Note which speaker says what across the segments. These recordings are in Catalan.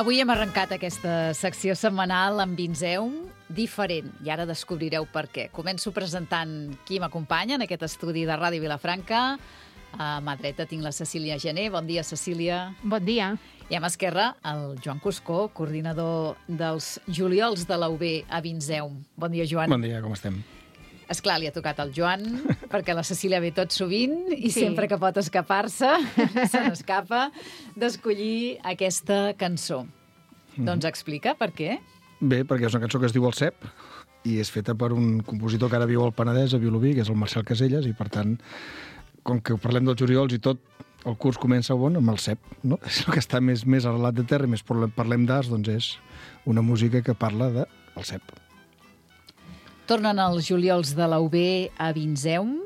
Speaker 1: Avui hem arrencat aquesta secció setmanal amb Vinzeum diferent i ara descobrireu per què. Començo presentant qui m'acompanya en aquest estudi de Ràdio Vilafranca. A mà dreta tinc la Cecília Gené. Bon dia, Cecília.
Speaker 2: Bon dia.
Speaker 1: I a mà esquerra el Joan Cuscó, coordinador dels Juliols de la UB a Vinzeum. Bon dia, Joan.
Speaker 3: Bon dia, com estem?
Speaker 1: Esclar, li ha tocat el Joan, perquè la Cecília ve tot sovint i
Speaker 2: Sí.
Speaker 1: sempre que pot escapar-se, se n'escapa, d'escollir aquesta cançó. Doncs explica per què.
Speaker 3: Bé, perquè és una cançó que es diu El Cep i és feta per un compositor que ara viu al Penedès, a Vilobí, que és el Marcel Caselles, i per tant, com que parlem dels Juliols i tot, el curs comença amb el Cep, no? És el que està més arrelat de terra i més parlem d'arts, doncs és una música que parla del Cep.
Speaker 1: Tornen els Juliols de la UB a Vinzeum.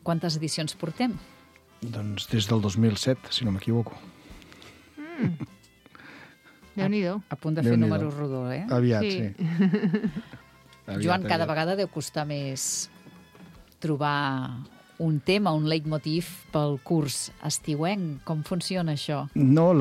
Speaker 1: Quantes edicions portem?
Speaker 3: Doncs des del 2007, si no m'equivoco.
Speaker 2: Déu-n'hi-do.
Speaker 1: A punt de fer
Speaker 3: Déu-n'hi-do.
Speaker 1: número rodó, eh?
Speaker 3: Aviat,
Speaker 2: Sí.
Speaker 3: sí.
Speaker 1: Joan, cada vegada deu costar més trobar un tema, un leitmotiv pel curs estiuenc. Com funciona això?
Speaker 3: No,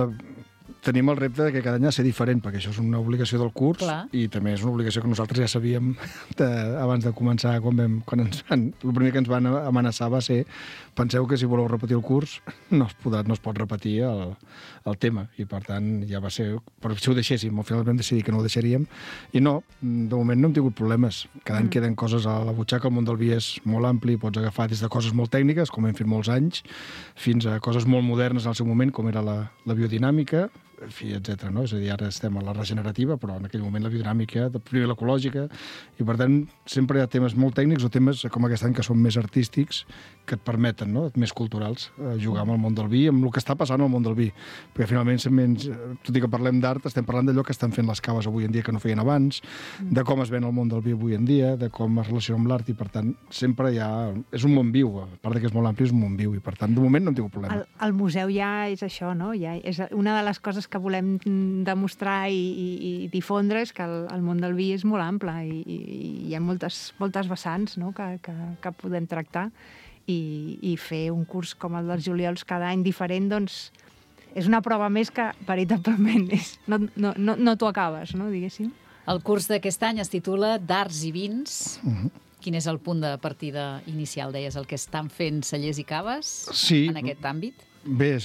Speaker 3: tenim el repte de que cada any ha de ser diferent, perquè això és una obligació del curs.
Speaker 1: Clar.
Speaker 3: I també és una obligació que nosaltres ja sabíem abans de començar, el primer que ens van amenaçar va ser: penseu que si voleu repetir el curs no es pot repetir el tema, i per tant ja va ser, però si ho deixéssim, al final vam decidir que no ho deixaríem, i no, de moment no hem tingut problemes. Cada any queden coses a la butxaca. El món del vi és molt ampli, pots agafar des de coses molt tècniques, com hem fet molts anys, fins a coses molt modernes al seu moment, com era la biodinàmica, en fi, etc. No? És a dir, ara estem a la regenerativa, però en aquell moment la biodinàmica, primer l'ecològica, i per tant sempre hi ha temes molt tècnics o temes com aquest any que són més artístics, que et permeten, no? Més culturals, jugar amb el món del vi, amb el que està passant al món del vi. Perquè finalment, tot i que parlem d'art, estem parlant d'allò que estan fent les caves avui en dia que no feien abans, de com es ven el món del vi avui en dia, de com es relaciona amb l'art, i per tant sempre és un món viu, a part que és molt ampli, és un món viu, i per tant de moment no hem tingut problema.
Speaker 2: El museu ja és això, no? Ja és una de les coses que volem demostrar i difondre, és que el món del vi és molt ample i hi ha moltes vessants, no? que podem tractar, i fer un curs com el dels Juliols cada any diferent, doncs és una prova més que veritablement no t'ho acabes, no? Diguéssim.
Speaker 1: El curs d'aquest any es titula d'Arts i Vins. Quin és el punt de partida inicial? Deies el que estan fent cellers i caves en aquest àmbit?
Speaker 3: Bé,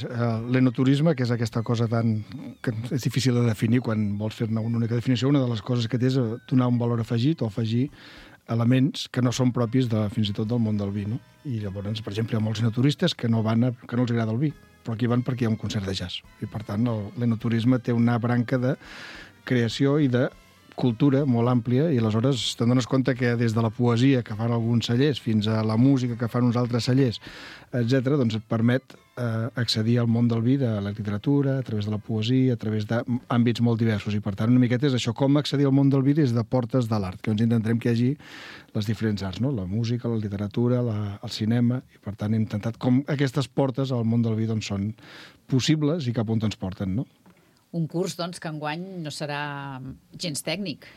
Speaker 3: l'enoturisme, que és aquesta cosa que és difícil de definir quan vols fer-ne una única definició. Una de les coses que té és donar un valor afegit o afegir elements que no són propis fins i tot del món del vi, no? I llavors, per exemple, hi ha molts enoturistes que no els agrada el vi, però aquí van perquè hi ha un concert de jazz. I per tant, l'enoturisme té una branca de creació i de cultura molt àmplia, i aleshores te'n dones compte que des de la poesia que fan alguns cellers fins a la música que fan uns altres cellers, etc., doncs et permet accedir al món del vi, de la literatura, a través de la poesia, a través d'àmbits molt diversos. I, per tant, una miqueta és això, com accedir al món del vi des de portes de l'art, que ens intentarem que hi hagi les diferents arts, no? La música, la literatura, el cinema, i, per tant, hem intentat com aquestes portes al món del vi doncs, són possibles i cap on ens porten, no?
Speaker 1: Un curs, doncs, que enguany no serà gens tècnic,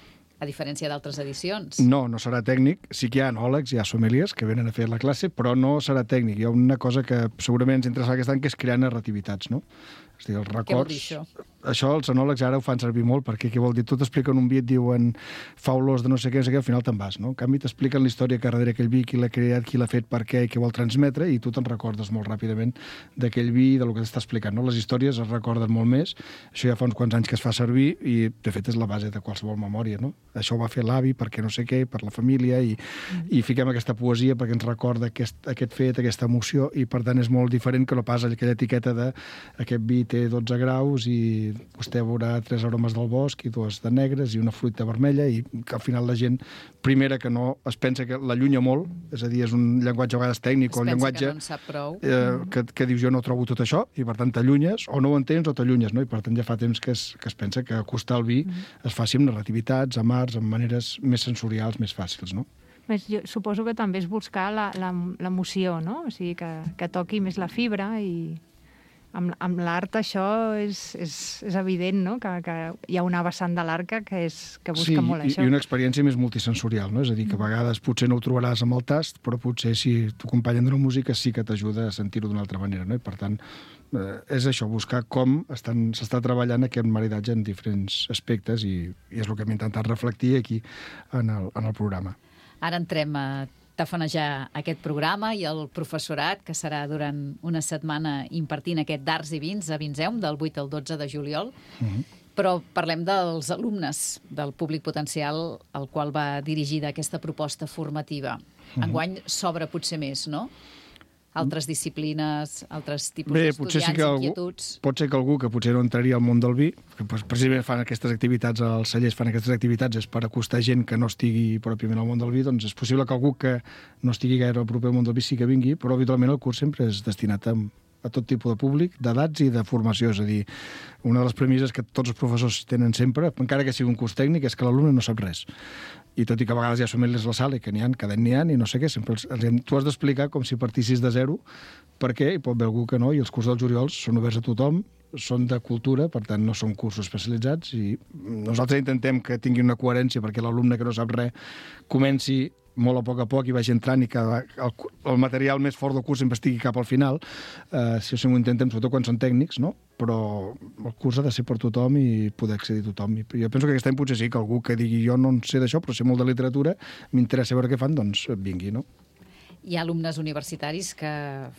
Speaker 1: a diferència d'altres edicions.
Speaker 3: No, no serà tècnic. Sí que hi ha enòlegs, hi ha sommeliers que venen a fer la classe, però no serà tècnic. Hi ha una cosa que segurament ens interessa aquest any, que és crear narrativitats, no? És a dir, els records...
Speaker 1: Què vol dir això?
Speaker 3: Això els enòlegs ara ho fan servir molt, perquè què vol dir? Tu t'expliquen un vi, et diuen fa olors de no sé què, al final te'n vas, no? En canvi, t'expliquen la història que darrere aquell vi, qui l'ha creat, qui l'ha fet, per què i què vol transmetre, i tu te'n recordes molt ràpidament d'aquell vi, del que t'està explicant, no? Les històries es recorden molt més. Això ja fa uns quants anys que es fa servir i, de fet, és la base de qualsevol memòria, no? Això ho va fer l'avi perquè no sé què, per la família, i fiquem aquesta poesia perquè ens recorda aquest fet, aquesta emoció, i, per tant, és molt diferent que no pas aquella etiqueta de aquest vi té 12 graus i vostè veurà 3 aromes del bosc i 2 de negres i una fruita vermella, i que al final la gent, primera, que no es pensa que l'allunya molt, és a dir, és un llenguatge a vegades tècnic, o un llenguatge
Speaker 1: que no en sap prou.
Speaker 3: Que dius jo no trobo tot això, i per tant t'allunyes, o no ho entens o t'allunyes, no? I per tant ja fa temps que es pensa que acostar el vi es faci amb narrativitats, amb arts, amb maneres més sensorials, més fàcils, no?
Speaker 2: Jo suposo que també és buscar l'emoció, no? O sigui, que toqui més la fibra, i amb l'art això és evident, no? Que hi ha una vessant de l'art que busca molt això.
Speaker 3: Sí, i una experiència més multisensorial, no? És a dir, que a vegades potser no ho trobaràs amb el tast, però potser si t'acompanyen d'una música sí que t'ajuda a sentir-ho d'una altra manera, no? I per tant, és això, buscar com s'està treballant aquest maridatge en diferents aspectes, i és el que hem intentat reflectir aquí en el programa.
Speaker 1: Ara entrem a tafanejar aquest programa i el professorat, que serà durant una setmana impartint aquest d'Arts i Vins a Vinseum, del 8 al 12 de juliol. Però parlem dels alumnes, del públic potencial al qual va dirigida aquesta proposta formativa. Enguany s'obre potser més, no? Altres disciplines, altres tipus d'estudiants, inquietuds...
Speaker 3: Pot ser que algú que potser no entraria al món del vi, que precisament fan aquestes activitats, els cellers fan aquestes activitats, és per acostar gent que no estigui pròpiament al món del vi, doncs és possible que algú que no estigui gaire proper al món del vi sí que vingui, però habitualment el curs sempre és destinat a tot tipus de públic, d'edats i de formació. És a dir, una de les premisses que tots els professors tenen sempre, encara que sigui un curs tècnic, és que l'alumne no sap res. I tot i que a vegades ja som ells a la sala i que n'hi ha, cada any n'hi ha, i no sé què, sempre tu has d'explicar com si partissis de zero, perquè hi pot haver algú que no, i els cursos dels Oriols són oberts a tothom, són de cultura, per tant no són cursos especialitzats, i nosaltres intentem que tingui una coherència perquè l'alumne que no sap res comenci molt a poc i vagi entrant, i que el material més fort del curs sempre estigui cap al final. Si ho intentem, sobretot quan són tècnics, no? Però el curs ha de ser per tothom i poder accedir a tothom. I jo penso que aquest any potser sí que algú que digui jo no en sé d'això, però sé molt de literatura, m'interessa veure què fan, doncs vingui, no?
Speaker 1: Hi ha alumnes universitaris que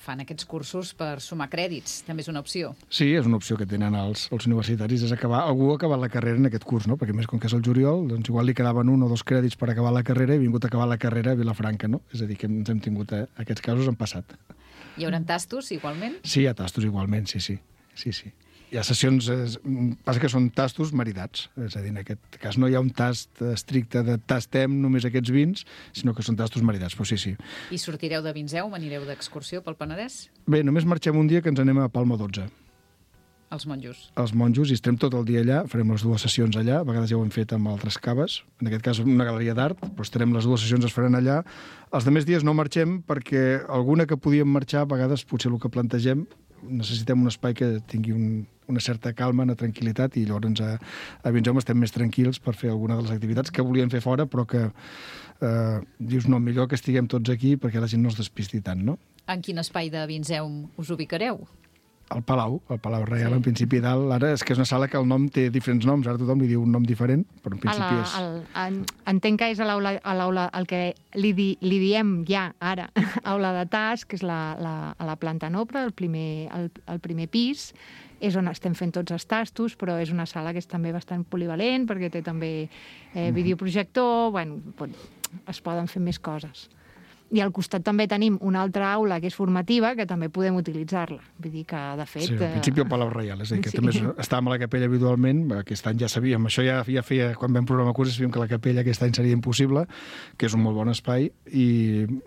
Speaker 1: fan aquests cursos per sumar crèdits. També és una opció.
Speaker 3: Sí, és una opció que tenen els universitaris, és algú ha acabat la carrera en aquest curs, no? Perquè més com que és el juliol, doncs igual li quedaven 1 o 2 crèdits per acabar la carrera i ha vingut a acabar la carrera a Vilafranca, no? És a dir, que ens hem tingut aquests casos han passat.
Speaker 1: Hi haurà tastos, igualment?
Speaker 3: Sí, hi ha tastos, igualment, sí. Hi ha sessions, passa que són tastos maridats, és a dir, en aquest cas no hi ha un tast estricte de tastem només aquests vins, sinó que són tastos maridats, però sí.
Speaker 1: I sortireu de Vinseum, anireu d'excursió pel Penedès?
Speaker 3: Bé, només marxem un dia que ens anem a Palma 12.
Speaker 1: Els monjos.
Speaker 3: Els monjos, i estem tot el dia allà, farem les 2 sessions allà, a vegades ja ho hem fet amb altres caves, en aquest cas una galeria d'art, però estarem les 2 sessions es faran allà. Els demés dies no marxem perquè alguna que podíem marxar, a vegades potser el que plantegem, necessitem un espai que tingui una certa calma, una tranquil·litat, i llavors a Vinseum estem més tranquils per fer alguna de les activitats que volíem fer fora, però que dius, no, millor que estiguem tots aquí perquè la gent no es despisti tant, no?
Speaker 1: En quin espai de Vinseum us ubicareu?
Speaker 3: El Palau Reial, en principi dalt. Ara és que és una sala que el nom té diferents noms, ara tothom li diu un nom diferent, però en principi és...
Speaker 2: Entenc que és a l'aula, el que li diem ja ara, aula de tas, que és a la planta noble, el primer pis, és on estem fent tots els tastos, però és una sala que és també bastant polivalent, perquè té també videoprojector, bueno, es poden fer més coses. I al costat també tenim una altra aula que és formativa, que també podem utilitzar-la. Vull dir que, de fet...
Speaker 3: Sí, al principi al Palau Reial, és a dir, que també estàvem a la capella habitualment, aquest any ja sabíem, això ja feia, quan vam programar cursos, sabíem que la capella aquest any seria impossible, que és un molt bon espai, i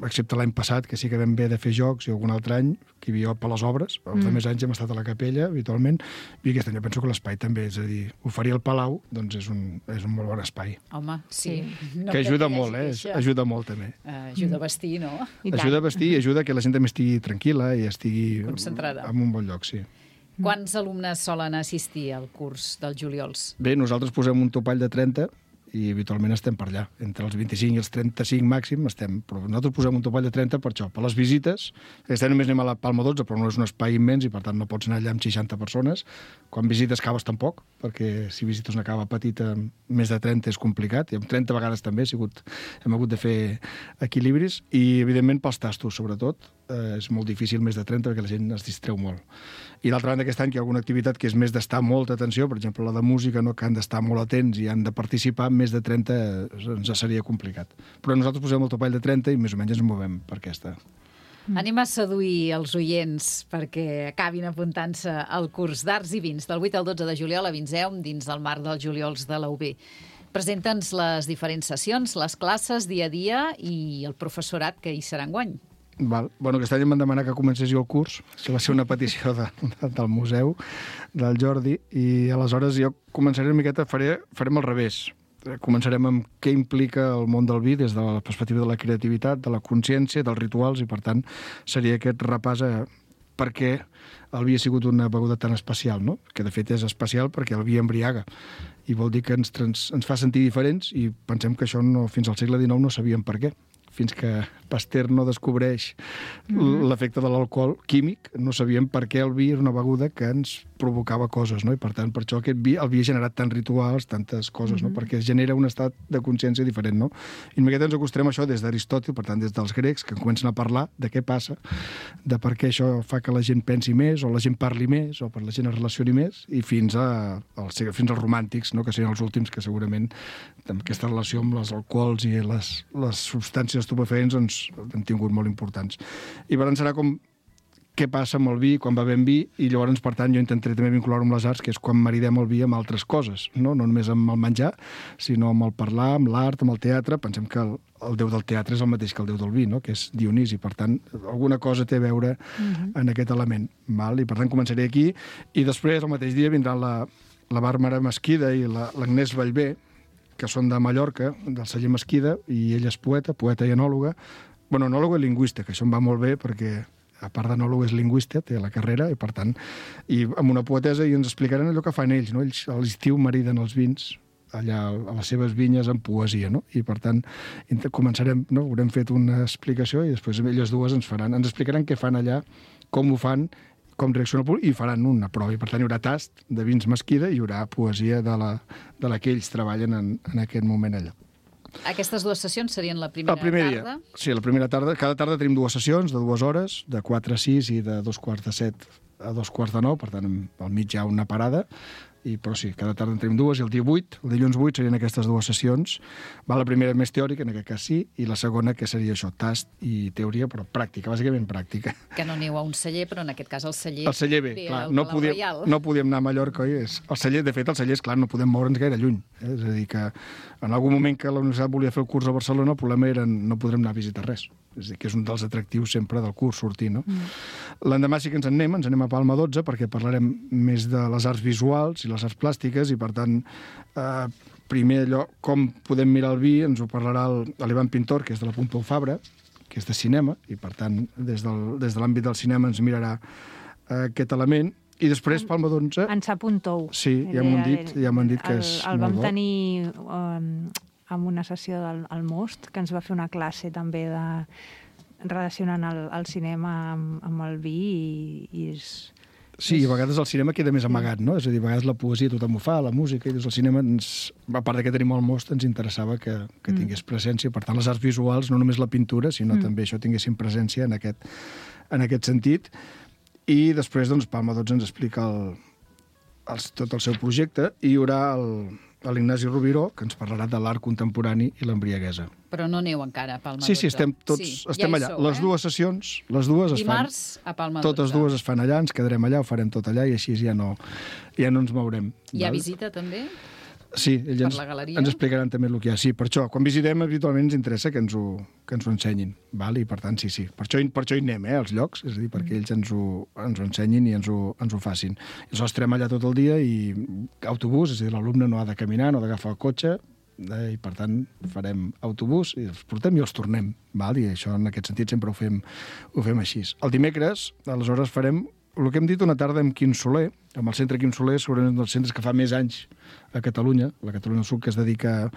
Speaker 3: excepte l'any passat, que sí que vam haver de fer jocs, i algun altre any, que hi havia per les obres, els altres anys hem estat a la capella habitualment, i aquest any jo penso que l'espai també, és a dir, oferir el Palau, doncs és un molt bon espai.
Speaker 1: Home, sí.
Speaker 3: No que ajuda molt, ajuda molt també.
Speaker 1: Ajuda a vestir, no?
Speaker 3: Ajuda a vestir i ajuda que la gent també estigui tranquil·la i estigui
Speaker 1: concentrada
Speaker 3: en un bon lloc, sí.
Speaker 1: Quants alumnes solen assistir al curs dels juliols?
Speaker 3: Bé, nosaltres posem un topall de 30 i habitualment estem per allà. Entre els 25 i els 35 màxim estem. Però nosaltres posem un topall de 30 per això, per les visites. Aquest any només anem a la Palma 12, però no és un espai immens i per tant no pots anar allà amb 60 persones. Quan visites caves tampoc, perquè si visites una cava petita, més de 30 és complicat. I amb 30 vegades també hem hagut de fer equilibris. I evidentment pels tastos, sobretot. És molt difícil més de 30 perquè la gent es distreu molt. I d'altra banda, aquest any que hi ha alguna activitat que és més d'estar molta atenció, per exemple la de música, no, que han d'estar molt atents i han de participar, més de 30 ens seria complicat. Però nosaltres posem el topall de 30 i més o menys ens movem per aquesta.
Speaker 1: Anem a seduir els oients perquè acabin apuntant-se al curs d'Arts i Vins del 8 al 12 de juliol a Vinzeum dins del marc dels juliols de la UB. Presenta'ns les diferents sessions, les classes dia a dia i el professorat que hi serà enguany.
Speaker 3: Val. Bueno, aquest any em van demanar que comencés jo el curs. Això va ser una petició del museu, del Jordi, i aleshores jo començaré una miqueta, farem al revés. Començarem amb què implica el món del vi des de la perspectiva de la creativitat, de la consciència, dels rituals, i per tant seria aquest repàs a per què el vi ha sigut una beguda tan especial, no? Que de fet és especial perquè el vi embriaga i vol dir que ens fa sentir diferents i pensem que això fins al segle XIX no sabíem per què. Fins que Pasteur no descobreix l'efecte de l'alcohol químic, no sabíem per què el vi era una beguda que ens provocava coses, no? I per tant, per això el vi ha generat tants rituals, tantes coses, no? Perquè es genera un estat de consciència diferent, no? I una miqueta ens acostarem a això des d'Aristòtil, per tant, des dels grecs, que comencen a parlar de què passa, de per què això fa que la gent pensi més, o la gent parli més, o per la gent es relacioni més, i fins als romàntics, no? Que serien els últims, que segurament amb aquesta relació amb els alcohols i les substàncies estupefaents doncs, han tingut molt importants. I per tant serà com què passa amb el vi, quan bevem vi, i llavors, per tant, jo intentaré també vincular-ho amb les arts, que és quan maridem el vi amb altres coses, no només amb el menjar, sinó amb el parlar, amb l'art, amb el teatre. Pensem que el déu del teatre és el mateix que el déu del vi, no? Que és Dionís, i per tant, alguna cosa té a veure en aquest element. Val? I per tant, començaré aquí, i després, el mateix dia, vindran la Bàrbara Mesquida i l'Agnès Vallvé, que són de Mallorca, del celler Mesquida, i ella és poeta i enòloga. Bueno, enòloga i lingüista, que això em va molt bé perquè, a part d'enòloga, és lingüista, té la carrera, i per tant, i amb una poetesa, i ens explicaran allò que fan ells, no? Ells a l'estiu mariden els vins, allà a les seves vinyes amb poesia, no? I per tant, començarem, no? Haurem fet una explicació i després elles dues ens explicaran què fan allà, com ho fan, com reacciona el públic, i faran una prova. I per tant hi haurà tast de vins Mesquida i hi haurà poesia de la que ells treballen en aquest moment allà.
Speaker 1: Aquestes dues sessions serien la primera tarda?
Speaker 3: Sí, la primera tarda. Cada tarda tenim dues sessions de 2 hores, de 4 a 6 i de 2:45 a 2:45, per tant, al mig hi ha una parada, però sí, cada tarda en tenim dues, i el dia 8, el dilluns 8, serien aquestes dues sessions. La primera més teòrica, en aquest cas sí, i la segona, que seria això, tast i teoria, però pràctica, bàsicament pràctica.
Speaker 1: Que no aneu a un celler, però en aquest cas el celler...
Speaker 3: El celler bé, clar, no podíem anar a Mallorca, oi? El celler, de fet, el celler, és clar, no podem moure'ns gaire lluny. És a dir, que en algun moment que la universitat volia fer el curs a Barcelona, el problema era no podrem anar a visitar res. És a dir, que és un dels atractius sempre del curs, sortir, no? L'endemà sí que ens anem a Palma 12, perquè parlarem més de les arts visuals i les arts plàstiques, i per tant, primer allò, com podem mirar el vi, ens ho parlarà l'Ivan Pintor, que és de la Pompeu Fabra, que és de cinema, i per tant, des de l'àmbit del cinema ens mirarà aquest element. I després, Palma 11...
Speaker 2: En Sapuntou.
Speaker 3: Sí, ja m'ho han dit que és molt bo.
Speaker 2: El vam tenir amb una sessió del Most, que ens va fer una classe també relacionant el cinema amb el vi, i és...
Speaker 3: Sí, a vegades el cinema queda més amagat, no? És a dir, a vegades la poesia tothom ho fa, la música, i el cinema, a part que tenim el Most, ens interessava que tingués presència. Per tant, les arts visuals, no només la pintura, sinó també això tinguessin presència en aquest sentit. I després, doncs, Palma 12 ens explica tot el seu projecte, i hi haurà l'Ignasi Rubiró, que ens parlarà de l'art contemporani i l'embriaguesa.
Speaker 1: Però no aneu encara a Palma
Speaker 3: Sí,
Speaker 1: d'Otto.
Speaker 3: estem allà. Les dues sessions, les dues es fan...
Speaker 1: Dimarts a Palma d'Otto.
Speaker 3: Totes dues es fan allà, ens quedarem allà, ho farem tot allà i així ja no ens mourem.
Speaker 1: Hi ha visita, també?
Speaker 3: Sí, ells
Speaker 1: Per la galeria?
Speaker 3: ens explicaran també el que hi ha. Sí, per això, quan visitem, habitualment ens interessa que ens ho ensenyin. Val? I per tant, sí. Per això hi anem, als llocs, és a dir, perquè ells ens ho ensenyin i ens ho facin. I aleshores estarem allà tot el dia i autobús, és a dir, l'alumne no ha de caminar, no ha d'agafar el cotxe, i per tant farem autobús i els portem i els tornem. Val? I això, en aquest sentit, sempre ho fem així. El dimecres, aleshores, farem el que hem dit una tarda amb Quim Soler, amb el centre Quim Soler, segurament un dels centres que fa més anys a Catalunya, la Catalunya Sud, que es dedica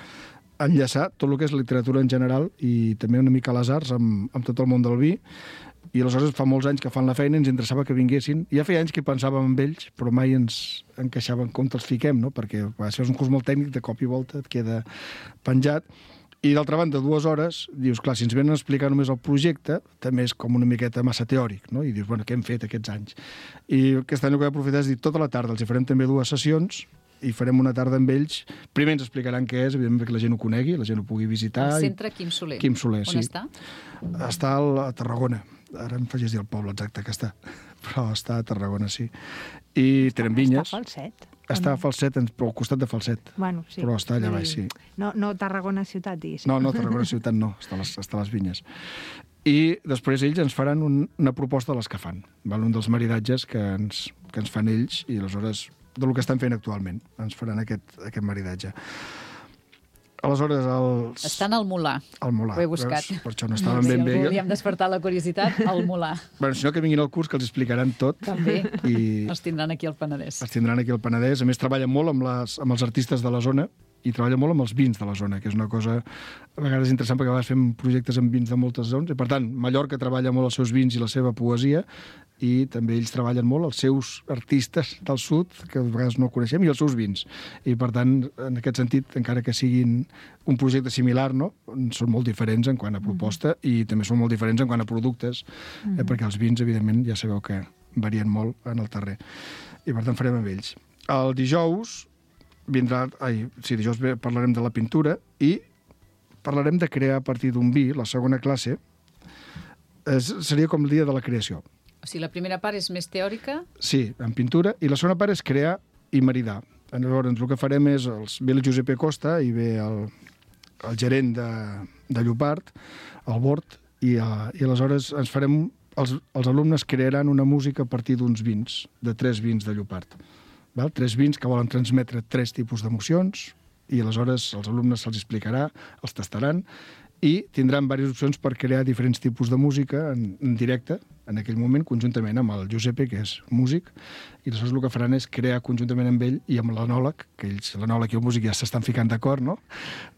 Speaker 3: a enllaçar tot el que és literatura en general i també una mica a les arts amb tot el món del vi. I aleshores fa molts anys que fan la feina i ens interessava que vinguessin. Ja feia anys que pensàvem en ells, però mai ens encaixaven com els fiquem, no? Perquè això és un curs molt tècnic, de cop i volta et queda penjat. I d'altra banda, 2 hores, dius, clar, si ens venen a explicar només el projecte, també és com una miqueta massa teòric, no? I dius, bueno, què hem fet aquests anys? I aquest any el que he aprofitat és dir, tota la tarda els hi farem també 2 sessions i farem una tarda amb ells. Primer ens explicaran què és, evidentment, perquè la gent ho conegui, la gent ho pugui visitar.
Speaker 1: El centre Quim Soler.
Speaker 3: Quim Soler, sí.
Speaker 1: On està?
Speaker 3: Està a Tarragona. Ara em faries dir el poble exacte que està. Però està a Tarragona, sí. I tenen vinyes.
Speaker 2: Està a Falset.
Speaker 3: Està a Falset, però al costat de Falset.
Speaker 2: Bueno, sí.
Speaker 3: Però està allà baix, sí.
Speaker 2: No Tarragona ciutat, diguéssim.
Speaker 3: No, Tarragona ciutat no, està a les vinyes. I després ells ens faran una proposta de les que fan. Val? Un dels maridatges que ens fan ells i aleshores del que estan fent actualment. Ens faran aquest maridatge. Aleshores,
Speaker 1: Estan al Molar.
Speaker 3: Al Molar.
Speaker 1: Ho he buscat.
Speaker 3: Veus? Per això no estaven ben bé.
Speaker 1: Si algú li hem despertat la curiositat, al Molar.
Speaker 3: Bueno, si no, que vinguin al curs, que els explicaran tot.
Speaker 1: També.
Speaker 3: I
Speaker 1: Els tindran aquí al Penedès.
Speaker 3: els tindran aquí al Penedès. A més, treballen molt amb els artistes de la zona i treballa molt amb els vins de la zona, que és una cosa a vegades interessant perquè a vegades fem projectes amb vins de moltes zones i per tant Mallorca treballa molt els seus vins i la seva poesia i també ells treballen molt els seus artistes del sud que a vegades no coneixem i els seus vins i per tant en aquest sentit encara que siguin un projecte similar no? Són molt diferents en quant a proposta i també són molt diferents en quant a productes perquè els vins evidentment ja sabeu que varien molt en el terrer i per tant farem amb ells. El dijous dijous parlarem de la pintura i parlarem de crear a partir d'un vi, la segona classe, seria com el dia de la creació.
Speaker 1: O sigui, la primera part és més teòrica?
Speaker 3: Sí, en pintura, i la segona part és crear i maridar. Llavors, el que farem és, ve el Giuseppe Costa i ve el gerent de Llopart, el Bord, i aleshores ens farem, els alumnes crearan una música a partir d'uns vins, de 3 vins de Llopart. 3 vins que volen transmetre 3 tipus d'emocions i aleshores els alumnes se'ls explicarà, els tastaran i tindran diverses opcions per crear diferents tipus de música en directe, en aquell moment, conjuntament amb el Giuseppe, que és músic, i aleshores el que faran és crear conjuntament amb ell i amb l'anòleg, que l'anòleg i el músic ja s'estan ficant d'acord, no?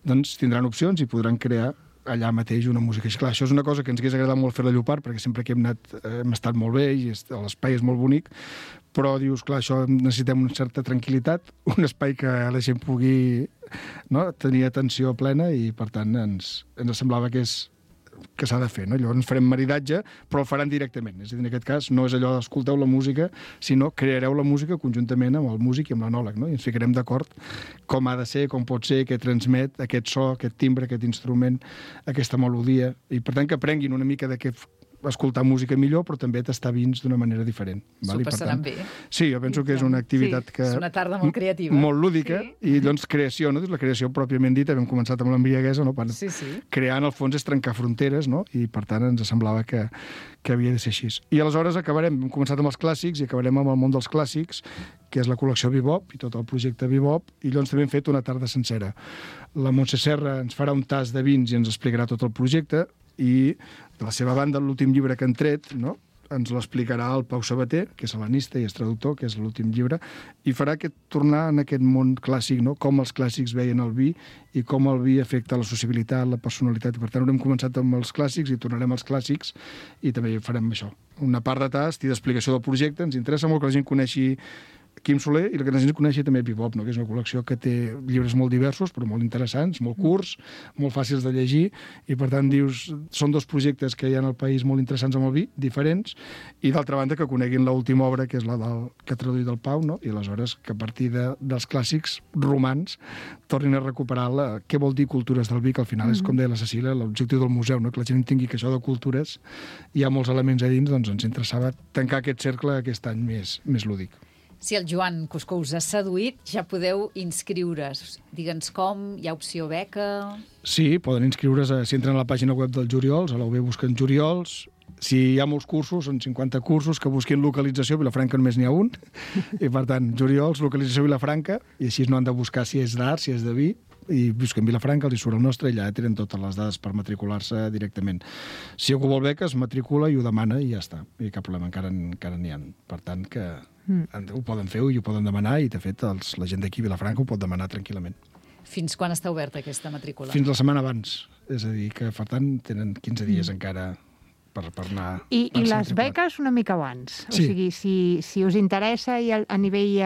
Speaker 3: Doncs tindran opcions i podran crear allà mateix una música. I clar, això és una cosa que ens hagués agradat molt fer a Llopart, perquè sempre que hem estat molt bé i l'espai és molt bonic, però dius, clar, això necessitem una certa tranquil·litat, un espai que la gent pugui tenir atenció plena i, per tant, ens semblava que s'ha de fer. No? Llavors farem maridatge, però el faran directament. És a dir, en aquest cas, no és allò d'escolteu la música, sinó creareu la música conjuntament amb el músic i amb l'anòleg. No? I ens ficarem d'acord com ha de ser, com pot ser, què transmet, aquest so, aquest timbre, aquest instrument, aquesta melodia. I, per tant, que aprenguin una mica de què escoltar música millor, però també tastar vins d'una manera diferent.
Speaker 1: S'ho passaran bé.
Speaker 3: Sí, jo penso que és una activitat que...
Speaker 1: És una tarda molt creativa.
Speaker 3: Molt lúdica, i doncs creació, no? La creació pròpiament dita, hem començat amb l'embriaguesa, no? Crear, en el fons, és trencar fronteres, no? I, per tant, ens semblava que havia de ser així. I aleshores hem començat amb els clàssics i acabarem amb el món dels clàssics, que és la col·lecció Bebop i tot el projecte Bebop, i llavors també hem fet una tarda sencera. La Montse Serra ens farà un tas de vins i ens explicarà tot el projecte, i de la seva banda, l'últim llibre que han tret, no? Ens l'explicarà el Pau Sabater, que és hel·lenista i és traductor, que és l'últim llibre, i farà tornar en aquest món clàssic, no? Com els clàssics veien el vi i com el vi afecta la sociabilitat, la personalitat. Per tant, haurem començat amb els clàssics i tornarem als clàssics i també farem això. Una part de tast i d'explicació del projecte. Ens interessa molt que la gent coneixi Quim Soler, i el que necessito conèixer també Bebop, no? Que és una col·lecció que té llibres molt diversos, però molt interessants, molt curts, molt fàcils de llegir, i per tant dius, són dos projectes que hi ha al país molt interessants amb el vi, diferents, i d'altra banda que coneguin l'última obra, que és la que ha traduït el Pau, no? I aleshores que a partir dels clàssics romans tornin a recuperar què vol dir cultures del vi, que al final és, com deia la Cecília, l'objectiu del museu, no? Que la gent entengui que això de cultures hi ha molts elements a dins, doncs ens interessava tancar aquest cercle aquest any més lúdic.
Speaker 1: Si el Joan Cuscó us ha seduït, ja podeu inscriure's. Digue'ns com, hi ha opció beca...
Speaker 3: Sí, poden inscriure's, si entren a la pàgina web del Juriols, a la UB busquen Juriols. Si hi ha molts cursos, són 50 cursos, que busquin localització, Vilafranca només n'hi ha un, i per tant, Juriols, localització Vilafranca, i així no han de buscar si és d'art, si és de vi, i busquen Vilafranca, els hi surt el nostre, i allà tenen totes les dades per matricular-se directament. Si algú vol beca, es matricula i ho demana i ja està. I cap problema, encara n'hi ha. Per tant, que ho poden fer i ho poden demanar, i de fet la gent d'aquí a Vilafranca ho pot demanar tranquil·lament.
Speaker 1: Fins quan està oberta aquesta matrícula?
Speaker 3: Fins la setmana abans. És a dir, que per tant tenen 15 dies encara per anar...
Speaker 2: I les beques una mica abans.
Speaker 3: Sí.
Speaker 2: O sigui, si us interessa i a nivell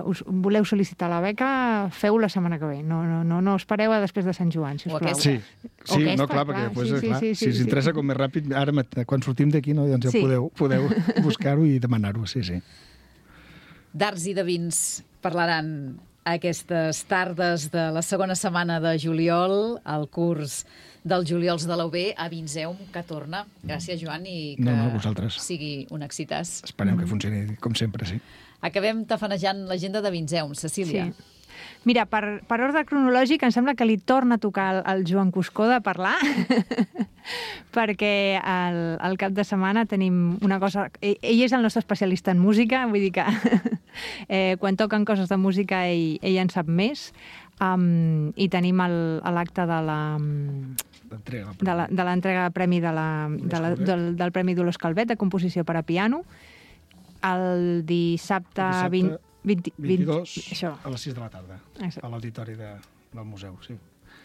Speaker 2: us voleu sol·licitar la beca, feu la setmana que ve. No espereu a després de Sant Joan, si us plau.
Speaker 3: Sí, no, clar, perquè després, si us interessa com més ràpid, ara quan sortim d'aquí, no, doncs ja podeu buscar-ho i demanar-ho, sí.
Speaker 1: D'arts i de vins parlaran aquestes tardes de la segona setmana de juliol, el curs dels juliols de la UB a Vinseum, que torna. Gràcies, Joan, i que sigui un èxitàs.
Speaker 3: Esperem que funcioni com sempre, sí.
Speaker 1: Acabem tafanejant l'agenda de Vinseum. Cecília.
Speaker 2: Sí. Mira, per ordre cronològic, em sembla que li torna a tocar al Joan Cuscó de parlar, perquè al cap de setmana tenim una cosa... Ell és el nostre especialista en música, vull dir que quan toquen coses de música ell en sap més, i tenim l'acte de l'entrega de premi del Premi Dolors Calvet de composició per a piano, el dissabte
Speaker 3: 22 a les 6 de la tarda, a l'auditori del museu, sí.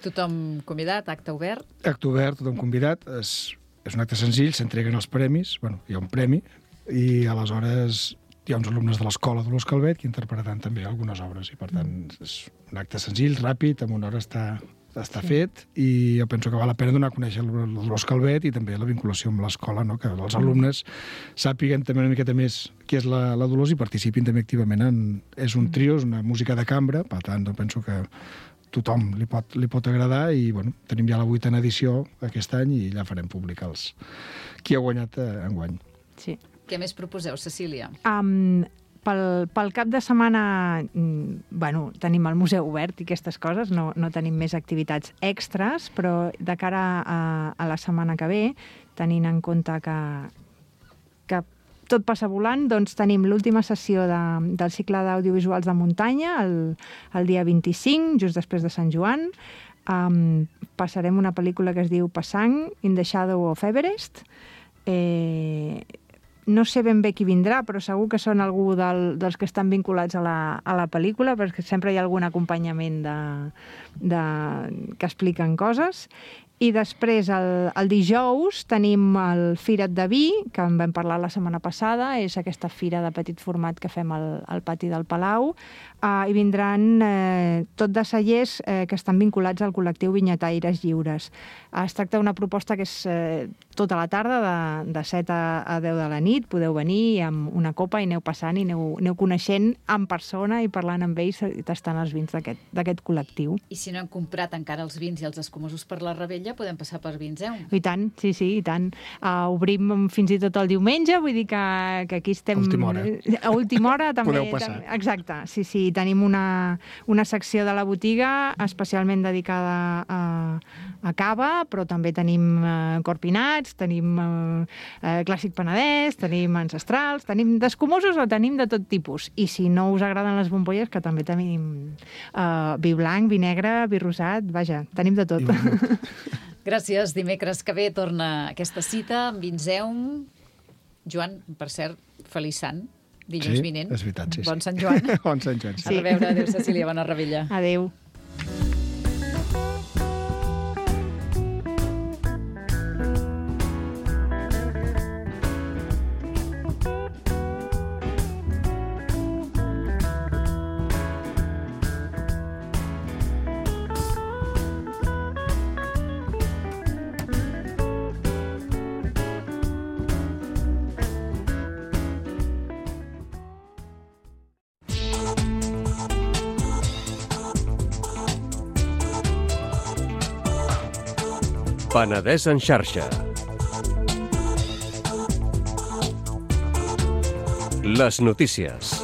Speaker 1: Tothom convidat, acte obert?
Speaker 3: Acte obert, tothom convidat. És un acte senzill, s'entreguen els premis, hi ha un premi, i aleshores hi ha uns alumnes de l'escola Dolors Calvet que interpretaran també algunes obres, i per tant és un acte senzill, ràpid, en una hora està fet, i jo penso que val la pena donar a conèixer el Dolors Calvet i també la vinculació amb l'escola, no? Que els alumnes sàpiguen també una miqueta més què és la Dolors i participin també activament és un trio, és una música de cambra, per tant penso que tothom li pot agradar, i tenim ja la 8a edició aquest any i ja farem públic qui ha guanyat enguany.
Speaker 2: Sí.
Speaker 1: Què més proposeu, Cecília?
Speaker 2: Pel cap de setmana, tenim el museu obert i aquestes coses, no tenim més activitats extres, però de cara a la setmana que ve, tenint en compte que tot passa volant, doncs tenim l'última sessió del cicle d'audiovisuals de muntanya, el dia 25, just després de Sant Joan. Passarem una pel·lícula que es diu Passang, in the Shadow of Everest. No sé ben bé qui vindrà, però segur que són algú dels que estan vinculats a la pel·lícula, perquè sempre hi ha algun acompanyament que expliquen coses. I després, el dijous, tenim el Fira't de Vi, que en vam parlar la setmana passada, és aquesta fira de petit format que fem al pati del Palau, i vindran tot de cellers que estan vinculats al col·lectiu Vinyataires Lliures. Es tracta d'una proposta que és tota la tarda, de 7 a 10 de la nit, podeu venir amb una copa i aneu passant i aneu coneixent en persona i parlant amb ells i tastant els vins d'aquest col·lectiu.
Speaker 1: I si no hem comprat encara els vins i els escumosos per la Rebella, podem passar per Vinseum.
Speaker 2: I tant, sí, i tant. Obrim fins i tot el diumenge, vull dir que aquí estem... A última hora també.
Speaker 3: Podeu passar.
Speaker 2: Exacte, sí. Tenim una secció de la botiga especialment dedicada a cava, però també tenim corpinats, tenim clàssic penedès, tenim ancestrals, tenim d'escumosos o tenim de tot tipus. I si no us agraden les bombolles, que també tenim vi blanc, vi negre, vi rosat, vaja, tenim de tot.
Speaker 1: Gràcies. Dimecres que ve torna aquesta cita amb Vinseum. Joan, per cert, feliç sant, dilluns vinent.
Speaker 3: Sí, és veritat, sí.
Speaker 1: Bon Sant Joan.
Speaker 3: Bon Sant Joan, sí.
Speaker 1: A reveure. Adéu, Cecília, bona Rebella.
Speaker 2: Adéu.
Speaker 4: Penedès en xarxa. Les notícies.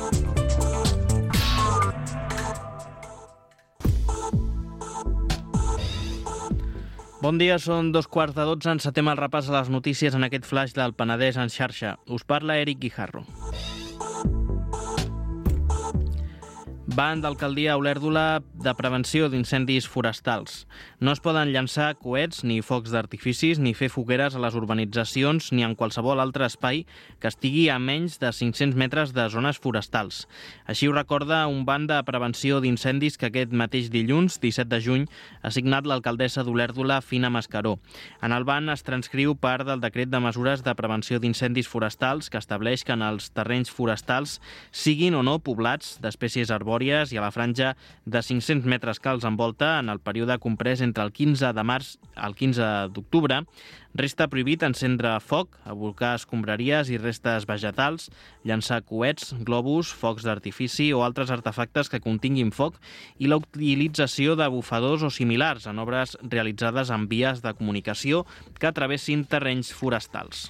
Speaker 5: Bon dia, són 12:15. Encetem el repàs a les notícies en aquest flaix del Penedès en xarxa. Us parla Eric Guijarro. Ban d'alcaldia a Olèrdola de prevenció d'incendis forestals. No es poden llançar coets ni focs d'artificis ni fer fogueres a les urbanitzacions ni en qualsevol altre espai que estigui a menys de 500 metres de zones forestals. Així ho recorda un ban de prevenció d'incendis que aquest mateix dilluns, 17 de juny, ha signat l'alcaldessa d'Olèrdola, Fina Mascaró. En el ban es transcriu part del decret de mesures de prevenció d'incendis forestals que estableix que en els terrenys forestals siguin o no poblats d'espècies arbòries i a la franja de 500 metres que els envolta en el període comprès entre el 15 de març al 15 d'octubre, resta prohibit encendre foc, abocar escombraries i restes vegetals, llançar coets, globus, focs d'artifici o altres artefactes que continguin foc i la utilització de bufadors o similars en obres realitzades en vies de comunicació que travessin terrenys forestals.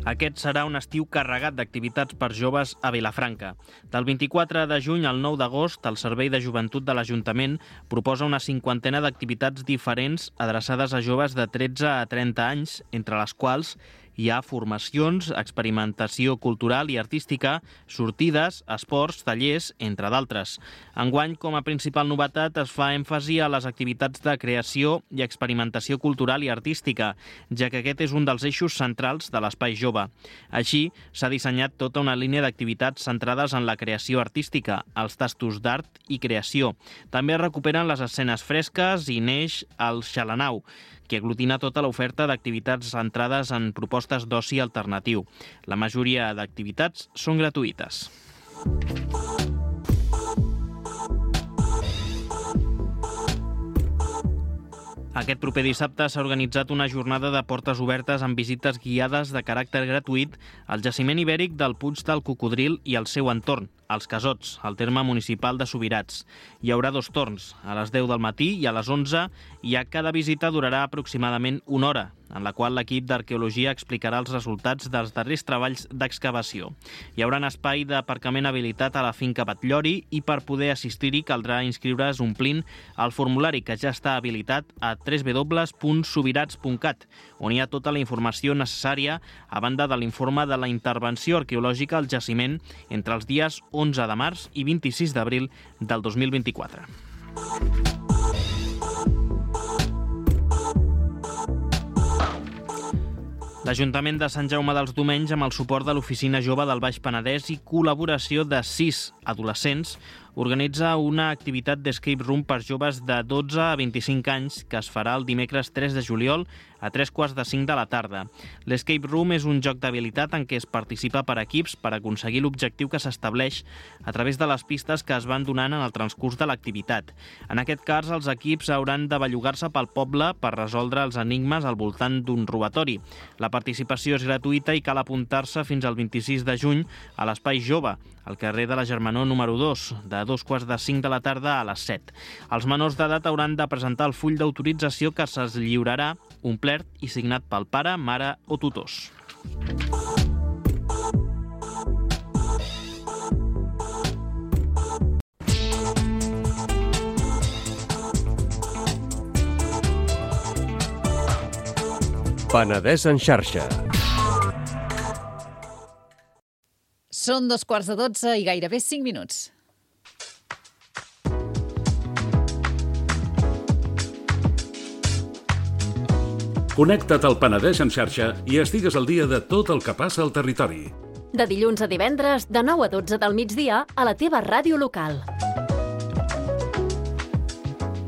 Speaker 5: Aquest serà un estiu carregat d'activitats per joves a Vilafranca. Del 24 de juny al 9 d'agost, el Servei de Joventut de l'Ajuntament proposa una 50ena d'activitats diferents adreçades a joves de 13 a 30 anys, entre les quals hi ha formacions, experimentació cultural i artística, sortides, esports, tallers, entre d'altres. Enguany, com a principal novetat, es fa èmfasi a les activitats de creació i experimentació cultural i artística, ja que aquest és un dels eixos centrals de l'Espai Jove. Així, s'ha dissenyat tota una línia d'activitats centrades en la creació artística, els tastos d'art i creació. També es recuperen les escenes fresques i neix el Xalanau, que aglutina tota l'oferta d'activitats centrades en propostes d'oci alternatiu. La majoria d'activitats són gratuïtes. Aquest proper dissabte s'ha organitzat una jornada de portes obertes amb visites guiades de caràcter gratuït al jaciment ibèric del Puig del Cocodril i al seu entorn, als Casots, al terme municipal de Subirats. Hi haurà 2 torns, a les 10 del matí i a les 11, i cada visita durarà aproximadament 1 hora, en la qual l'equip d'arqueologia explicarà els resultats dels darrers treballs d'excavació. Hi haurà un espai d'aparcament habilitat a la finca Batllori i per poder assistir-hi caldrà inscriure's omplint el formulari que ja està habilitat a www.subirats.cat, on hi ha tota la informació necessària a banda de l'informe de la intervenció arqueològica al jaciment entre els dies 11 de març i 26 d'abril del 2024. L'Ajuntament de Sant Jaume dels Domenys, amb el suport de l'Oficina Jove del Baix Penedès i col·laboració de 6 adolescents, organitza una activitat d'escape room per joves de 12 a 25 anys que es farà el dimecres 3 de juliol a 3:45 de la tarda. L'escape room és un joc d'habilitat en què es participa per equips per aconseguir l'objectiu que s'estableix a través de les pistes que es van donant en el transcurs de l'activitat. En aquest cas, els equips hauran de bellugar-se pel poble per resoldre els enigmes al voltant d'un robatori. La participació és gratuïta i cal apuntar-se fins al 26 de juny a l'Espai Jove, al carrer de la Germanor número 2, de 2:45 de la tarda a les 7. Els menors d'edat hauran de presentar el full d'autorització que se'ls lliurarà omplert i signat pel pare, mare o tutors.
Speaker 4: Penedès en xarxa.
Speaker 1: Són 12:15 i gairebé 5 minuts.
Speaker 6: Connecta't al Penedès en xarxa i estigues al dia de tot el que passa al territori.
Speaker 7: De dilluns a divendres, de 9 a 12 del migdia, a la teva ràdio local.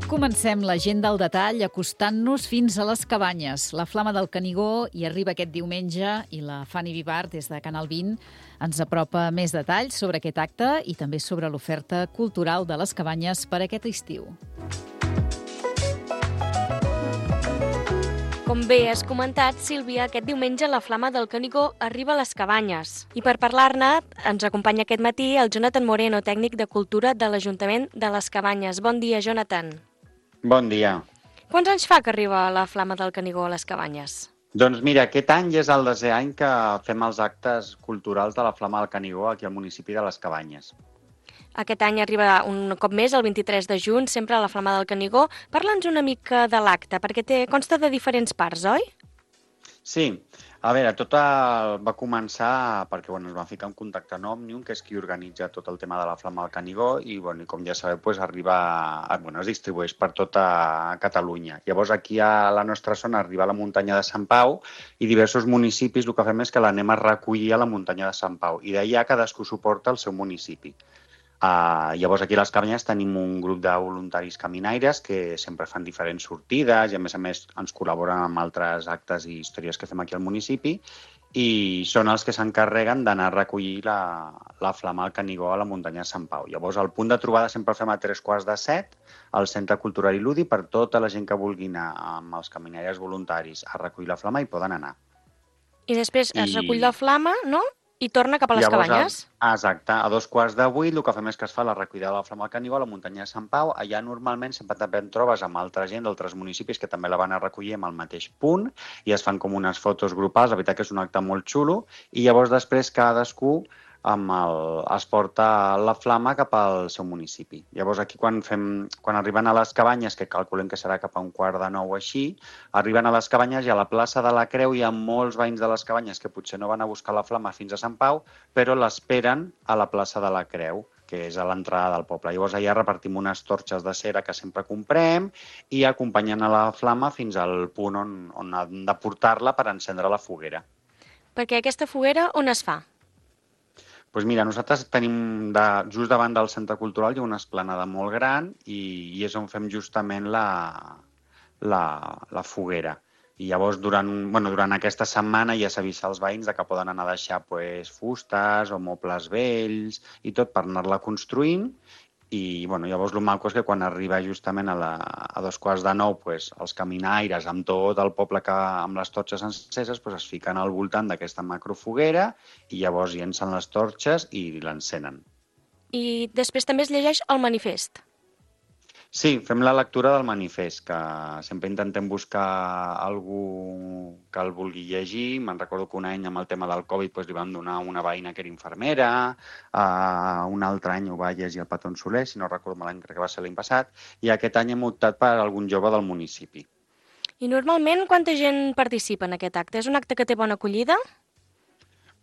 Speaker 1: Comencem l'agenda al detall acostant-nos fins a les cabanyes. La Flama del Canigó hi arriba aquest diumenge i la Fanny Vivar, des de Canal 20, ens apropa més detalls sobre aquest acte i també sobre l'oferta cultural de les cabanyes per aquest estiu.
Speaker 8: Com bé has comentat, Sílvia, aquest diumenge la Flama del Canigó arriba a les Cabanyes. I per parlar-ne ens acompanya aquest matí el Jonathan Moreno, tècnic de Cultura de l'Ajuntament de les Cabanyes. Bon dia, Jonathan.
Speaker 9: Bon dia.
Speaker 8: Quants anys fa que arriba la Flama del Canigó a les Cabanyes?
Speaker 9: Doncs mira, aquest any és el 10è any que fem els actes culturals de la Flama del Canigó aquí al municipi de les Cabanyes.
Speaker 8: Aquest any arriba un cop més, el 23 de juny, sempre a la Flama del Canigó. Parla'ns una mica de l'acte, perquè consta de diferents parts, oi?
Speaker 9: Sí, a veure, tot va començar perquè ens vam ficar en contacte amb Òmnium, que és qui organitza tot el tema de la Flama del Canigó, i com ja sabeu, es distribueix per tota Catalunya. Llavors aquí a la nostra zona arriba a la muntanya de Sant Pau i diversos municipis el que fem és que l'anem a recollir a la muntanya de Sant Pau i d'allà cadascú suporta el seu municipi. Llavors aquí a les Cabanyes tenim un grup de voluntaris caminaires que sempre fan diferents sortides i a més ens col·laboren amb altres actes i històries que fem aquí al municipi i són els que s'encarreguen d'anar a recollir la Flama del Canigó a la muntanya de Sant Pau. Llavors el punt de trobada sempre el fem a 3:15 al Centre Cultural i Lúdic per tota la gent que vulgui anar amb els caminaires voluntaris a recollir la Flama i poden anar.
Speaker 8: I després es recull la Flama, no? I torna cap a les Cabanyes?
Speaker 9: Exacte. A 7:15 el que fem és que es fa la recollida de la Flama del Canigó a la muntanya de Sant Pau. Allà normalment sempre també en trobes amb altra gent d'altres municipis que també la van a recollir en el mateix punt i es fan com unes fotos grupals. La veritat que és un acte molt xulo i llavors després cadascú es porta la flama cap al seu municipi. Llavors aquí quan arriben a les Cabanyes, que calculem que serà cap a 8:45 així, arriben a les Cabanyes i a la plaça de la Creu hi ha molts veïns de les Cabanyes que potser no van a buscar la flama fins a Sant Pau, però l'esperen a la plaça de la Creu, que és a l'entrada del poble. Llavors allà repartim unes torxes de cera que sempre comprem i acompanyen a la flama fins al punt on han de portar-la per encendre la foguera.
Speaker 8: Perquè aquesta foguera on es fa?
Speaker 9: Doncs mira, nosaltres tenim just davant del Centre Cultural hi ha una esplanada molt gran i és on fem justament la foguera. I llavors durant aquesta setmana ja s'avisa als veïns que poden anar a deixar fustes o mobles vells i tot per anar-la construint. I llavors el maco és que quan arriba justament a 8:45 els caminaires amb tot el poble amb les torxes enceses es fiquen al voltant d'aquesta macrofoguera i llavors llencen les torxes i l'encenen.
Speaker 8: I després també es llegeix el manifest.
Speaker 9: Sí, fem la lectura del manifest, que sempre intentem buscar algú que el vulgui llegir. Me'n recordo que un any amb el tema del Covid li vam donar a una veïna que era infermera, un altre any ho va llegir el Patón Soler, si no recordo malament, crec que va ser l'any passat, i aquest any hem optat per algun jove del municipi.
Speaker 8: I normalment quanta gent participa en aquest acte? És un acte que té bona acollida?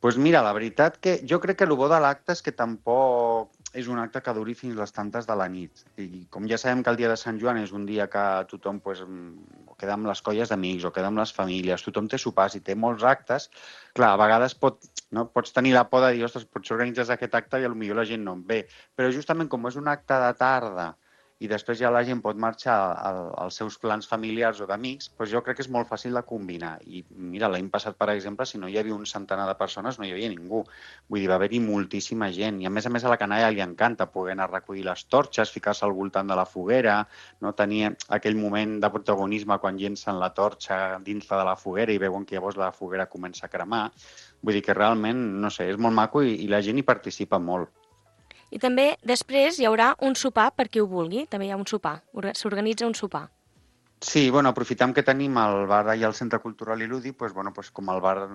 Speaker 9: Doncs mira, la veritat que jo crec que el bo de l'acte és que tampoc és un acte que duri fins les tantes de la nit. I com ja sabem que el dia de Sant Joan és un dia que tothom queda amb les colles d'amics o queda amb les famílies, tothom té sopars i té molts actes, clar, a vegades pots tenir la por de dir, ostres, potser organitzes aquest acte i potser la gent no en ve. Però justament com és un acte de tarda i després ja la gent pot marxar als seus plans familiars o d'amics, doncs jo crec que és molt fàcil de combinar. I mira, l'any passat, per exemple, si no hi havia un centenar de persones, no hi havia ningú. Vull dir, va haver-hi moltíssima gent. I a més a la canalla li encanta poder anar a recollir les torxes, ficar-se al voltant de la foguera, no tenir aquell moment de protagonisme quan llencen la torxa dins de la foguera i veuen que llavors la foguera comença a cremar. Vull dir que realment, no sé, és molt maco i la gent hi participa molt.
Speaker 8: I també després hi haurà un sopar per qui ho vulgui, també hi ha un sopar, s'organitza un sopar.
Speaker 9: Sí, aprofitam que tenim el bar i el Centre Cultural i Lúdic, com el bar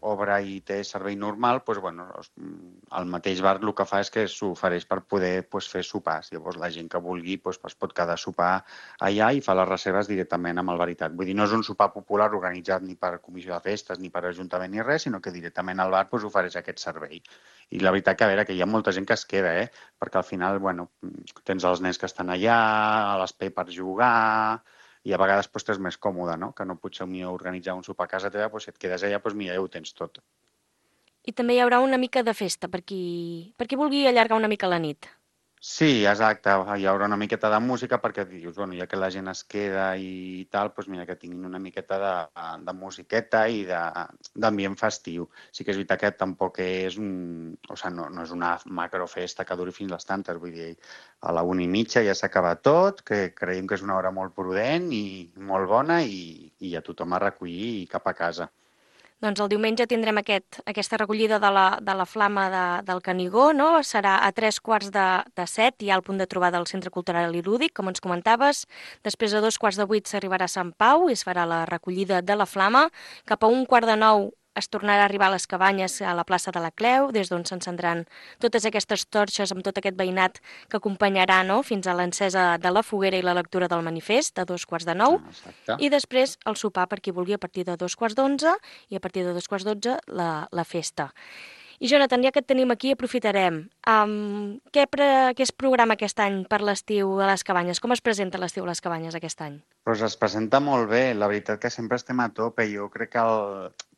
Speaker 9: obre i té servei normal, el mateix bar el que fa és que s'ofereix per poder fer sopars. Llavors la gent que vulgui es pot quedar a sopar allà i fa les reserves directament amb el Veritat. Vull dir, no és un sopar popular organitzat ni per comissió de festes ni per ajuntament ni res, sinó que directament el bar ofereix aquest servei. I la veritat que hi ha molta gent que es queda, perquè al final tens els nens que estan allà, a l'espai per jugar, i a vegades t'és més còmode, no? Que no potser organitzar un sopar a casa teva, si et quedes allà, mira, ja ho tens tot.
Speaker 8: I també hi haurà una mica de festa per qui vulgui allargar una mica la nit.
Speaker 9: Sí, exacte. Hi haurà una miqueta de música perquè dius, bueno, ja que la gent es queda i tal, doncs mira, que tinguin una miqueta de musiqueta i d'ambient festiu. Sí que és veritat que tampoc és no és una macrofesta que duri fins les tantes, vull dir, a la 1:30 ja s'acaba tot, que creiem que és una hora molt prudent i molt bona i a tothom a recollir i cap a casa.
Speaker 8: Doncs el diumenge tindrem aquesta recollida de la flama del Canigó, no? Serà a 7:15, ja al punt de trobada del Centre Cultural i Lúdic, com ens comentaves. Després a 7:45 s'arribarà a Sant Pau i es farà la recollida de la flama. Cap a 8:45 es tornarà a arribar a les Cabanyes, a la plaça de la Cleu, des d'on s'encendran totes aquestes torxes amb tot aquest veïnat que acompanyarà, no?, fins a l'encesa de la foguera i la lectura del manifest a 8:45.
Speaker 9: Exacte.
Speaker 8: I després el sopar per qui vulgui a partir de 11:15 i a partir de 11:12 la festa. I Jonathan, ja que et tenim aquí, aprofitarem. Què es programa aquest any per l'estiu a les Cabanyes? Com es presenta l'estiu a les Cabanyes aquest any?
Speaker 9: Doncs es presenta molt bé, la veritat que sempre estem a tope. Jo crec que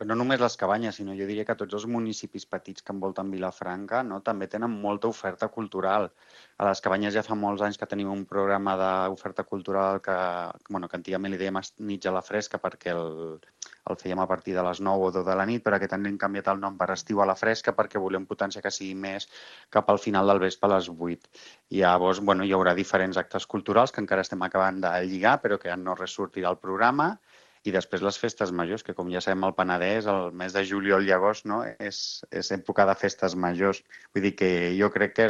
Speaker 9: no només les Cabanyes, sinó jo diria que tots els municipis petits que envolten Vilafranca, no, també tenen molta oferta cultural. A les Cabanyes ja fa molts anys que tenim un programa d'oferta cultural que antigament li dèiem Nits a la Fresca perquè el fèiem a partir de les 9 o 10 de la nit, però aquest any hem canviat el nom per Estiu a la Fresca perquè volem potenciar que sigui més cap al final del vespre a les 8. I llavors, hi haurà diferents actes culturals que encara estem acabant de lligar, però que no ressortirà el programa. I després les festes majors, que com ja sabem al Penedès, el mes de juliol i agost, no, és època de festes majors. Vull dir que jo crec que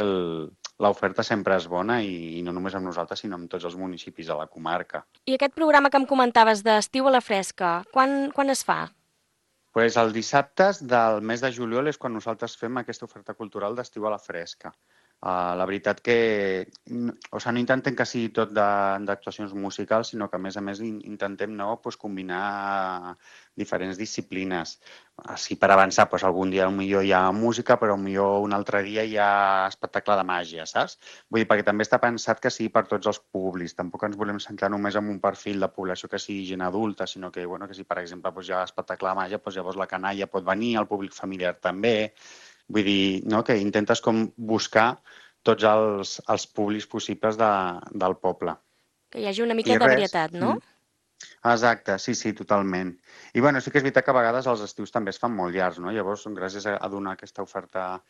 Speaker 9: l'oferta sempre és bona i no només amb nosaltres, sinó amb tots els municipis de la comarca.
Speaker 8: I aquest programa que em comentaves d'Estiu a la Fresca, quan es fa?
Speaker 9: Doncs els dissabtes del mes de juliol és quan nosaltres fem aquesta oferta cultural d'Estiu a la Fresca. La veritat que no intentem que sigui tot d'actuacions musicals, sinó que a més intentem combinar diferents disciplines. Així per avançar, algun dia potser hi ha música, però potser un altre dia hi ha espectacle de màgia, saps? Vull dir, perquè també està pensat que sigui per tots els públics. Tampoc ens volem centrar només en un perfil de població que sigui gent adulta, sinó que si, per exemple, hi ha espectacle de màgia, llavors la canalla pot venir, el públic familiar també. Vull dir, que intentes com buscar tots els públics possibles del poble.
Speaker 8: Que hi hagi una mica de varietat, no?
Speaker 9: Exacte, sí, totalment. I sí que és veritat que a vegades els estius també es fan molt llargs, no? Llavors, gràcies a donar aquesta oferta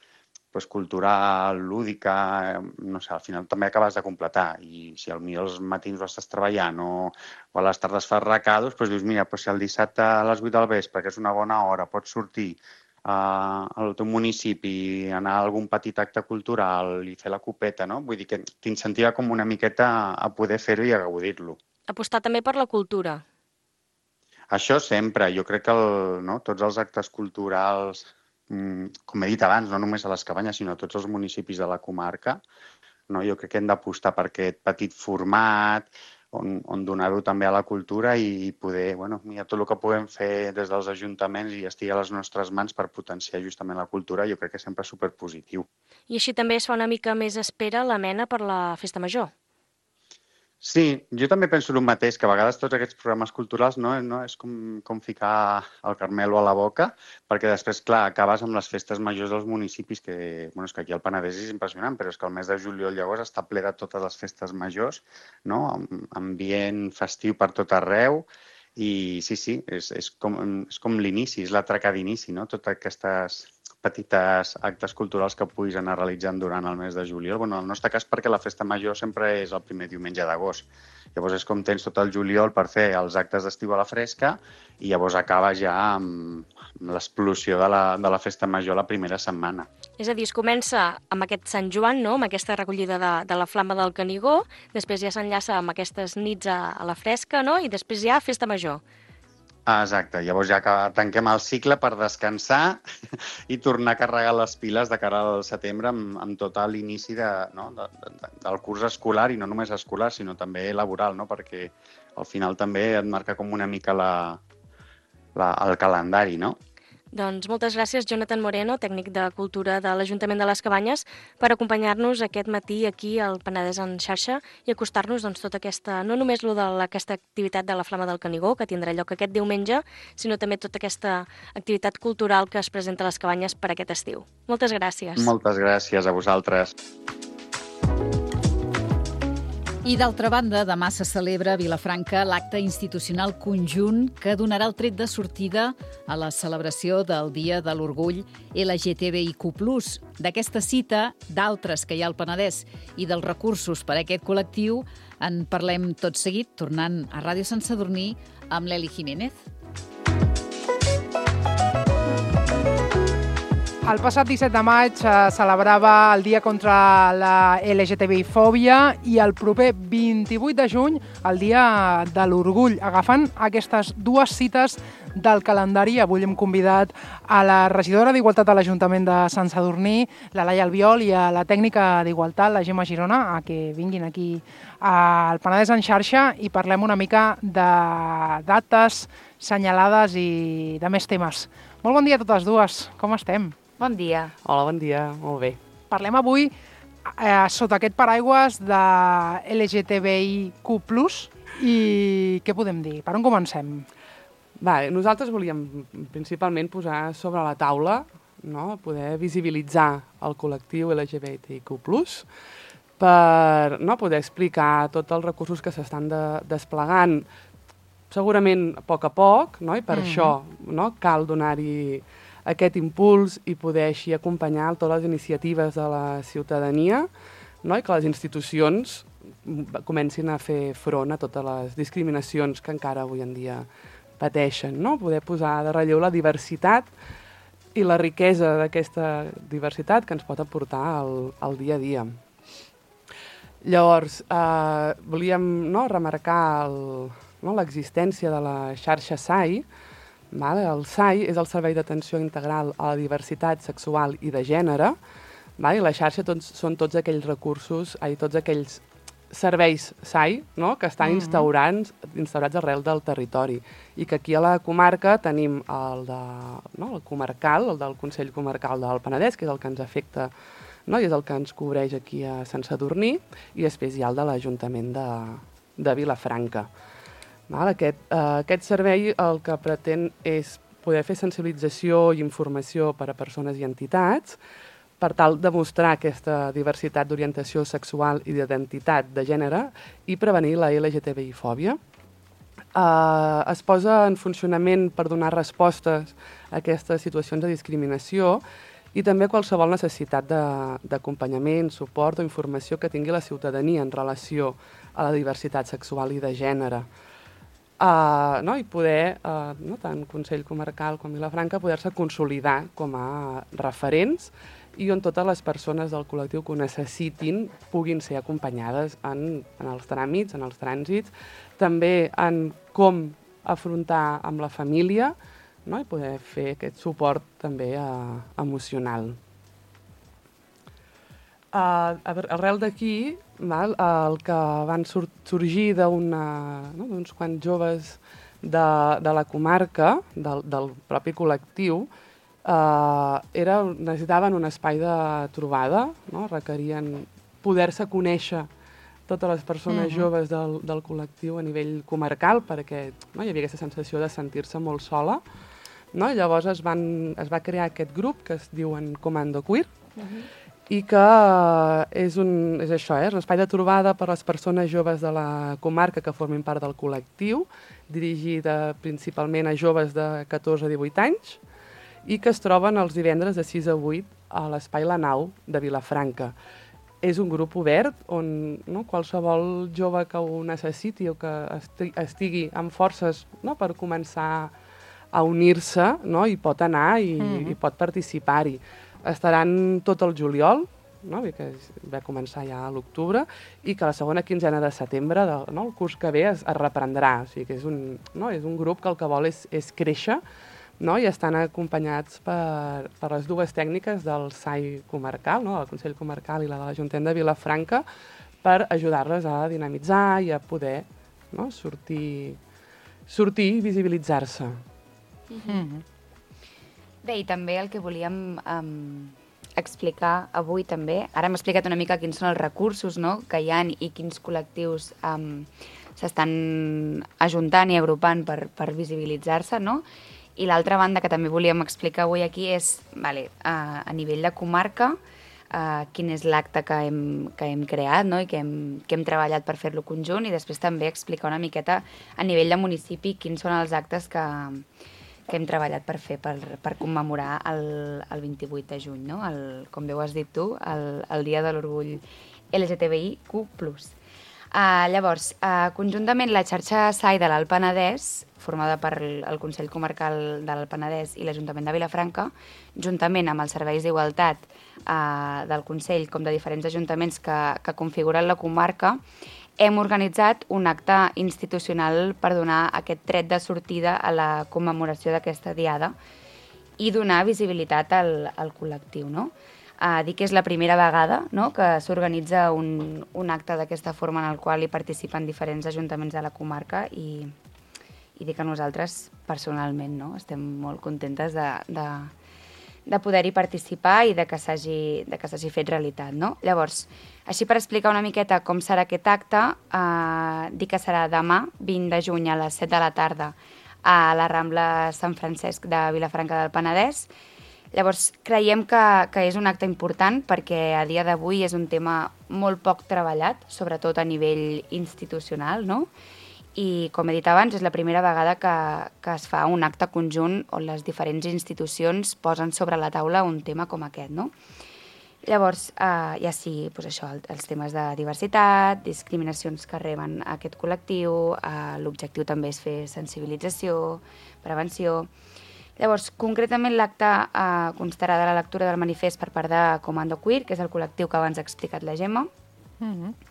Speaker 9: cultural, lúdica, no sé, al final també acabes de completar. I si potser els matins ho estàs treballant o a les tardes fas recados, dius, mira, si el dissabte a les 8 del vespre, que és una bona hora, pots sortir al teu municipi, anar a algun petit acte cultural i fer la copeta, no? Vull dir que t'incentiva com una miqueta a poder fer-ho i a gaudir-lo.
Speaker 8: Apostar també per la cultura.
Speaker 9: Això sempre. Jo crec que tots els actes culturals, com he dit abans, no només a les Cabanyes, sinó a tots els municipis de la comarca, jo crec que hem d'apostar per aquest petit format, on donar-ho també a la cultura i poder, mira, tot el que puguem fer des dels ajuntaments i estigui a les nostres mans per potenciar justament la cultura, jo crec que sempre és superpositiu.
Speaker 8: I així també es fa una mica més espera la mena per la festa major.
Speaker 9: Sí, jo també penso el mateix, que a vegades tots aquests programes culturals no és com ficar el carmelo a la boca, perquè després, clar, acabes amb les festes majors dels municipis, que és que aquí al Penedès és impressionant, però és que el mes de juliol llavors està ple de totes les festes majors, no? Ambient festiu per tot arreu, i sí, és com l'inici, és l'atraca d'inici, no? Totes aquestes petites actes culturals que puguis anar realitzant durant el mes de juliol. En el nostre cas, perquè la festa major sempre és el primer diumenge d'agost. Llavors és com tens tot el juliol per fer els actes d'Estiu a la Fresca i llavors acaba ja amb l'explosió de la festa major la primera setmana.
Speaker 8: És a dir, es comença amb aquest Sant Joan, no?, amb aquesta recollida de la flama del Canigó, després ja s'enllaça amb aquestes nits a la fresca, no?, i després ja festa major.
Speaker 9: Exacte, llavors ja tanquem el cicle per descansar i tornar a carregar les piles de cara al setembre amb tot l'inici del curs escolar, i no només escolar, sinó també laboral, no? Perquè al final també et marca com una mica el calendari, no?
Speaker 8: Doncs moltes gràcies, Jonathan Moreno, tècnic de Cultura de l'Ajuntament de les Cabanyes, per acompanyar-nos aquest matí aquí al Penedès en xarxa i acostar-nos tota aquesta, no només aquesta activitat de la Flama del Canigó, que tindrà lloc aquest diumenge, sinó també tota aquesta activitat cultural que es presenta a les Cabanyes per aquest estiu. Moltes gràcies.
Speaker 9: Moltes gràcies a vosaltres.
Speaker 1: I d'altra banda, demà se celebra a Vilafranca l'acte institucional conjunt que donarà el tret de sortida a la celebració del Dia de l'Orgull LGTBIQ+. D'aquesta cita, d'altres que hi ha al Penedès i dels recursos per a aquest col·lectiu, en parlem tot seguit, tornant a Ràdio Sant Sadurní amb l'Eli Jiménez.
Speaker 10: El passat 17 de maig celebrava el Dia contra la LGTBI-fòbia i el proper 28 de juny el Dia de l'Orgull. Agafant aquestes dues cites del calendari, avui hem convidat a la regidora d'Igualtat de l'Ajuntament de Sant Sadurní, la Laia Albiol, i a la tècnica d'Igualtat, la Gemma Girona, a que vinguin aquí al Penedès en xarxa i parlem una mica de dates, senyalades i de més temes. Molt bon dia a totes dues, com estem?
Speaker 11: Bon dia.
Speaker 12: Hola, bon dia. Molt bé.
Speaker 10: Parlem avui sota aquest paraigües de LGTBIQ+, i què podem dir? Per on comencem?
Speaker 12: Nosaltres volíem principalment posar sobre la taula, poder visibilitzar el col·lectiu LGBTIQ+, per poder explicar tots els recursos que s'estan desplegant, segurament a poc, i per això cal donar-hi aquest impuls i poder així acompanyar totes les iniciatives de la ciutadania, i que les institucions comencin a fer front a totes les discriminacions que encara avui en dia pateixen. Poder posar de relleu la diversitat i la riquesa d'aquesta diversitat que ens pot aportar al dia a dia. Llavors, volíem remarcar l'existència de la xarxa SAI. El SAI és el Servei d'Atenció Integral a la Diversitat Sexual i de Gènere, i la xarxa són tots aquells recursos, tots aquells serveis SAI que estan instaurats arrel del territori, i que aquí a la comarca tenim el comarcal, el del Consell Comarcal del Penedès, que és el que ens afecta i és el que ens cobreix aquí a Sant Sadurní, i després hi ha el de l'Ajuntament de Vilafranca. Aquest servei el que pretén és poder fer sensibilització i informació per a persones i entitats per tal de mostrar aquesta diversitat d'orientació sexual i d'identitat de gènere i prevenir la LGTBI-fòbia. Es posa en funcionament per donar respostes a aquestes situacions de discriminació i també qualsevol necessitat d'acompanyament, suport o informació que tingui la ciutadania en relació a la diversitat sexual i de gènere. I poder, tant Consell Comarcal com Vilafranca, poder-se consolidar com a referents i on totes les persones del col·lectiu que ho necessitin puguin ser acompanyades en els tràmits, en els trànsits, també en com afrontar amb la família i poder fer aquest suport també emocional. Arrel d'aquí, el que van sorgir d'uns quants joves de la comarca, del propi col·lectiu, necessitaven un espai de trobada, requerien poder-se conèixer totes les persones joves del col·lectiu a nivell comarcal, perquè hi havia aquesta sensació de sentir-se molt sola. Llavors es va crear aquest grup que es diuen Comando Queer, i que és un espai de trobada per a les persones joves de la comarca que formin part del col·lectiu, dirigit principalment a joves de 14 a 18 anys, i que es troben els divendres de 6 a 8 a l'Espai La Nau de Vilafranca. És un grup obert on qualsevol jove que ho necessiti o que estigui amb forces per començar a unir-se hi pot anar i pot participar-hi. Estaran tot el juliol, que va començar ja a l'octubre, i que la segona quinzena de setembre, el curs que ve, es reprendrà. O sigui que és un grup que el que vol és créixer, i estan acompanyats per les dues tècniques del SAI comarcal, el Consell Comarcal i la de l'Ajuntament de Vilafranca, per ajudar-les a dinamitzar i a poder sortir i visibilitzar-se.
Speaker 11: Bé, i també el que volíem explicar avui també, ara hem explicat una mica quins són els recursos que hi ha i quins col·lectius s'estan ajuntant i agrupant per visibilitzar-se, I l'altra banda que també volíem explicar avui aquí és, a nivell de comarca, quin és l'acte que hem creat, no? I que hem treballat per fer-lo conjunt, i després també explicar una miqueta a nivell de municipi quins són els actes que hem treballat per fer per commemorar el 28 de juny, no? Com bé ho has dit tu, el Dia de l'Orgull LGTBIQ+. Llavors, conjuntament la xarxa SAI de l'Alt Penedès, formada per el Consell Comarcal de l'Alt Penedès i l'Ajuntament de Vilafranca, juntament amb els serveis d'igualtat del Consell com de diferents ajuntaments que configuren la comarca, hem organitzat un acte institucional per donar aquest tret de sortida a la commemoració d'aquesta diada i donar visibilitat al col·lectiu, no? Dir que és la primera vegada, no?, que s'organitza un acte d'aquesta forma en el qual hi participen diferents ajuntaments de la comarca i dir que nosaltres, personalment, no?, estem molt contentes de poder-hi participar i de que s'hagi fet realitat, no? Llavors, així per explicar una miqueta com serà aquest acte, dir que serà demà, 20 de juny a les 7 de la tarda a la Rambla Sant Francesc de Vilafranca del Penedès. Llavors, creiem que és un acte important perquè a dia d'avui és un tema molt poc treballat, sobretot a nivell institucional, no? I, com he dit abans, és la primera vegada que es fa un acte conjunt on les diferents institucions posen sobre la taula un tema com aquest, no? Llavors, ja sí, doncs això, els temes de diversitat, discriminacions que reben aquest col·lectiu, l'objectiu també és fer sensibilització, prevenció. Llavors, concretament l'acte constarà de la lectura del manifest per part de Comando Queer, que és el col·lectiu que abans ha explicat la Gemma,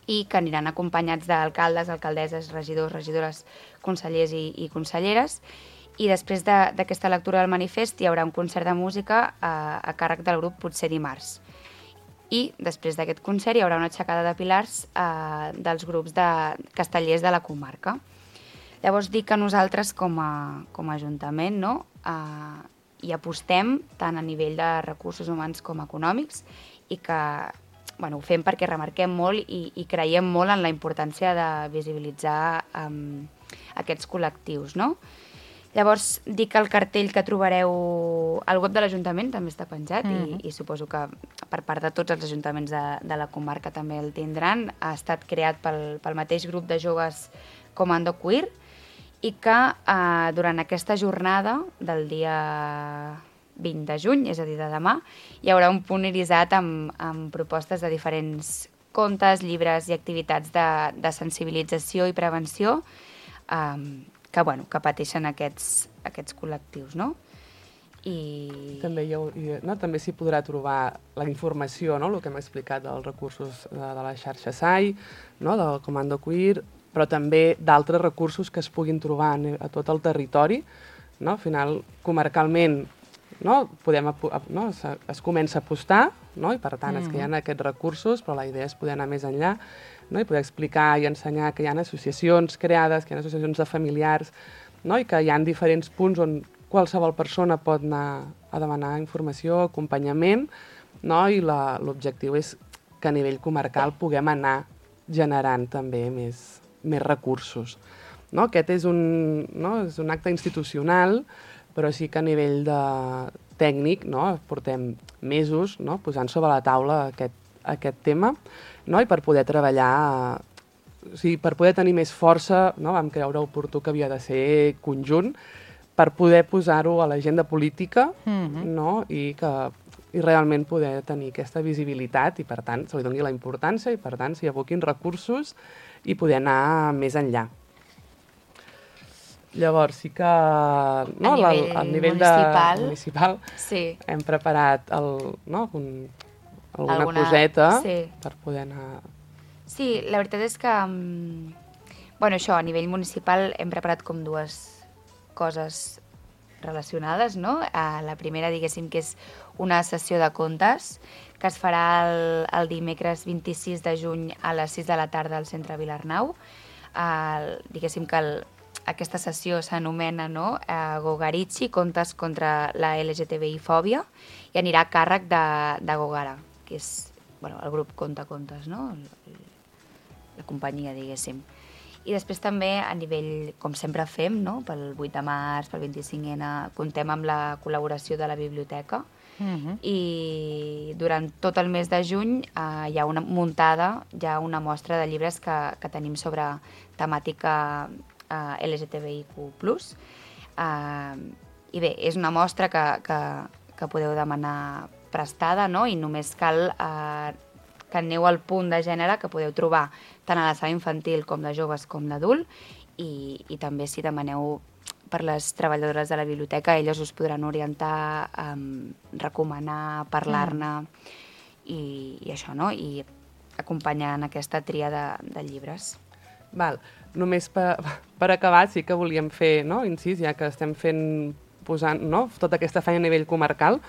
Speaker 11: i que aniran acompanyats d'alcaldes, alcaldesses, regidors, regidores, consellers i conselleres. I després d'aquesta lectura del manifest hi haurà un concert de música a càrrec del grup Potser Dimarts. I després d'aquest concert hi haurà una aixecada de pilars dels grups de castellers de la comarca. Llavors, dic que nosaltres, com a Ajuntament, no, hi apostem tant a nivell de recursos humans com econòmics i que ho fem perquè remarquem molt i creiem molt en la importància de visibilitzar aquests col·lectius, no? Llavors, dic que el cartell que trobareu al web de l'Ajuntament també està penjat i suposo que per part de tots els ajuntaments de la comarca també el tindran. Ha estat creat pel mateix grup de joves Comando Queer i que durant aquesta jornada del dia 20 de juny, és a dir, de demà, hi haurà un punt irisat amb propostes de diferents contes, llibres i activitats de sensibilització i prevenció que pateixen aquests col·lectius, no?
Speaker 12: També s'hi podrà trobar la informació, no?, el que hem explicat dels recursos de la xarxa SAI, no?, del Comando Queer, però també d'altres recursos que es puguin trobar a tot el territori, no? Al final, comarcalment, no? Es comença a apostar, no? I per tant és que hi ha aquests recursos, però la idea és poder anar més enllà, no? I poder explicar i ensenyar que hi ha associacions creades, que hi ha associacions de familiars, no? I que hi ha diferents punts on qualsevol persona pot anar a demanar informació, acompanyament, no? I l'objectiu és que a nivell comarcal puguem anar generant també més recursos. No? Aquest és un acte institucional, però sí que a nivell tècnic, no? Portem mesos, no?, posant sobre la taula aquest tema, no? I per poder treballar, per poder tenir més força, no? Vam creure oportú que havia de ser conjunt, per poder posar-ho a l'agenda política, no? I realment poder tenir aquesta visibilitat i, per tant, se li doni la importància i, per tant, s'hi aboquin recursos i poder anar més enllà. Llavors, sí que a nivell municipal hem preparat alguna coseta per poder anar...
Speaker 11: Sí, la veritat és que, a nivell municipal hem preparat com dues coses relacionades, no? La primera, diguéssim, que és una sessió de contes que es farà el dimecres 26 de juny a les 6 de la tarda al centre Vilarnau. Diguéssim que aquesta sessió s'anomena Gogarichi, contes contra la LGTBI-fòbia, i anirà a càrrec de Gogara, que és el grup Conta Contes, no? La companyia, diguéssim. I després també a nivell, com sempre fem, no? Pel 8 de març, pel 25N, comptem amb la col·laboració de la biblioteca. I durant tot el mes de juny hi ha una muntada, hi ha una mostra de llibres que tenim sobre temàtica LGTBIQ+. I bé, és una mostra que podeu demanar prestada, no? I només cal que aneu al punt de gènere que podeu trobar tant a la sala infantil com de joves com d'adult, i també si demaneu per les treballadores de la biblioteca, elles us podran orientar, recomanar, parlar-ne i això, no? I acompanyar en aquesta tria de llibres.
Speaker 12: Val. Només per acabar, sí que volíem fer, no, incís, ja que estem posant, no, tota aquesta feina a nivell comarcal,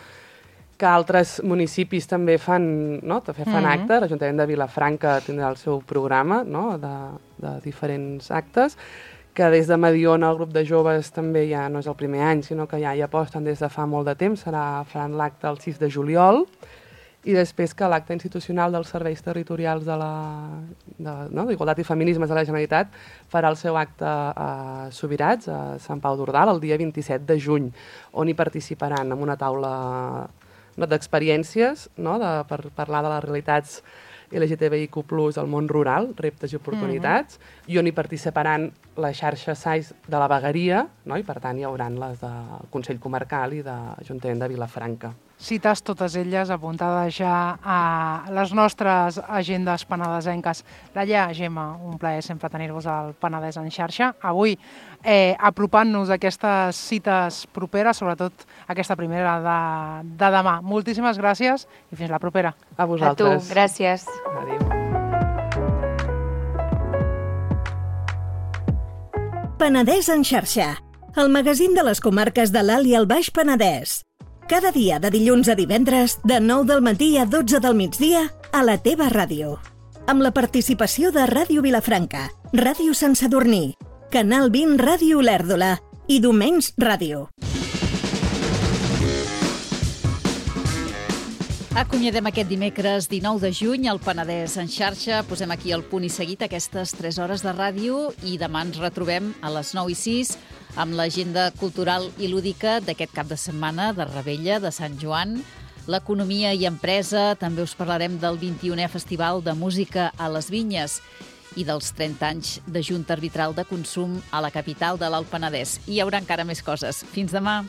Speaker 12: que altres municipis també fan, no, fan actes. L'Ajuntament de Vilafranca tindrà el seu programa, no, de diferents actes, que des de Mediona el grup de joves també ja no és el primer any, sinó que ja hi aposten des de fa molt de temps. Faran l'acte el 6 de juliol, i després que l'acte institucional dels serveis territorials d'Igualtat i Feminismes de la Generalitat farà el seu acte a Subirats, a Sant Pau d'Ordal, el dia 27 de juny, on hi participaran en una taula d'experiències, per parlar de les realitats LGTBIQ+, al món rural, reptes i oportunitats, i on hi participaran la xarxa SAIS de la Vegueria, i per tant hi haurà les del Consell Comarcal i de l'Ajuntament de Vilafranca.
Speaker 10: Cites totes elles apuntades ja a les nostres agendes penedesenques. Laia, Gemma, un plaer sempre tenir-vos al Penedès en xarxa. Avui, apropant-nos a aquestes cites properes, sobretot aquesta primera de demà. Moltíssimes gràcies i fins la propera.
Speaker 12: A vosaltres.
Speaker 11: A tu, gràcies.
Speaker 12: Adéu.
Speaker 13: Penedès en xarxa, el magazín de les comarques de l'Alt i el Baix Penedès. Cada dia, de dilluns a divendres, de 9 del matí a 12 del migdia, a la teva ràdio. Amb la participació de Ràdio Vilafranca, Ràdio Sant Sadurní, Canal 20 Ràdio Olèrdola i Domenys Ràdio.
Speaker 1: Acomiadem aquest dimecres 19 de juny al Penedès en xarxa. Posem aquí el punt i seguit aquestes 3 hores de ràdio i demà ens retrobem a les 9 i 6 amb l'agenda cultural i lúdica d'aquest cap de setmana de Rebella, de Sant Joan, l'economia i empresa. També us parlarem del 21è Festival de Música a les Vinyes i dels 30 anys de Junta Arbitral de Consum a la capital de l'Alt Penedès. I hi haurà encara més coses. Fins demà!